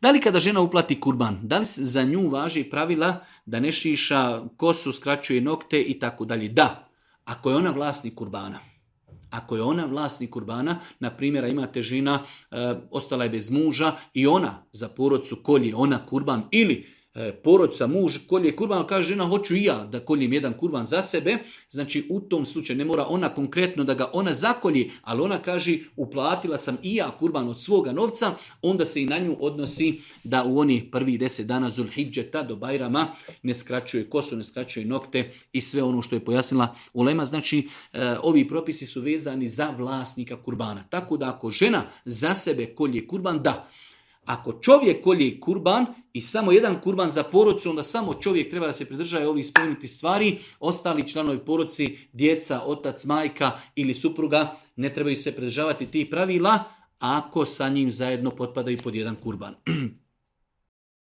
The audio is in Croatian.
Da li kada žena uplati kurban, da li za nju važi pravila da ne šiša kosu, skraćuje nokte i tako dalje? Da, ako je ona vlasnik kurbana. Ako je ona vlasnik kurbana, na primjer imate žena, ostala je bez muža i ona za porodcu kolje ona kurban ili porodca muž kolje kurban, kaže žena hoću i ja da koljem jedan kurban za sebe, znači u tom slučaju ne mora ona konkretno da ga ona zakolji, ali ona kaže uplatila sam i ja kurban od svoga novca, onda se i na nju odnosi da u onih prvih 10 dana Zulhidžeta do Bajrama ne skraćuje kosu, ne skraćuje nokte i sve ono što je pojasnila ulema. Znači ovi propisi su vezani za vlasnika kurbana. Tako da ako žena za sebe kolje kurban, da. Ako čovjek kolje kurban i samo jedan kurban za porodcu, onda samo čovjek treba da se pridržaje ovih spomenutih stvari, ostali članovi porodci, djeca, otac, majka ili supruga ne trebaju se pridržavati tih pravila ako sa njim zajedno potpadaju pod jedan kurban.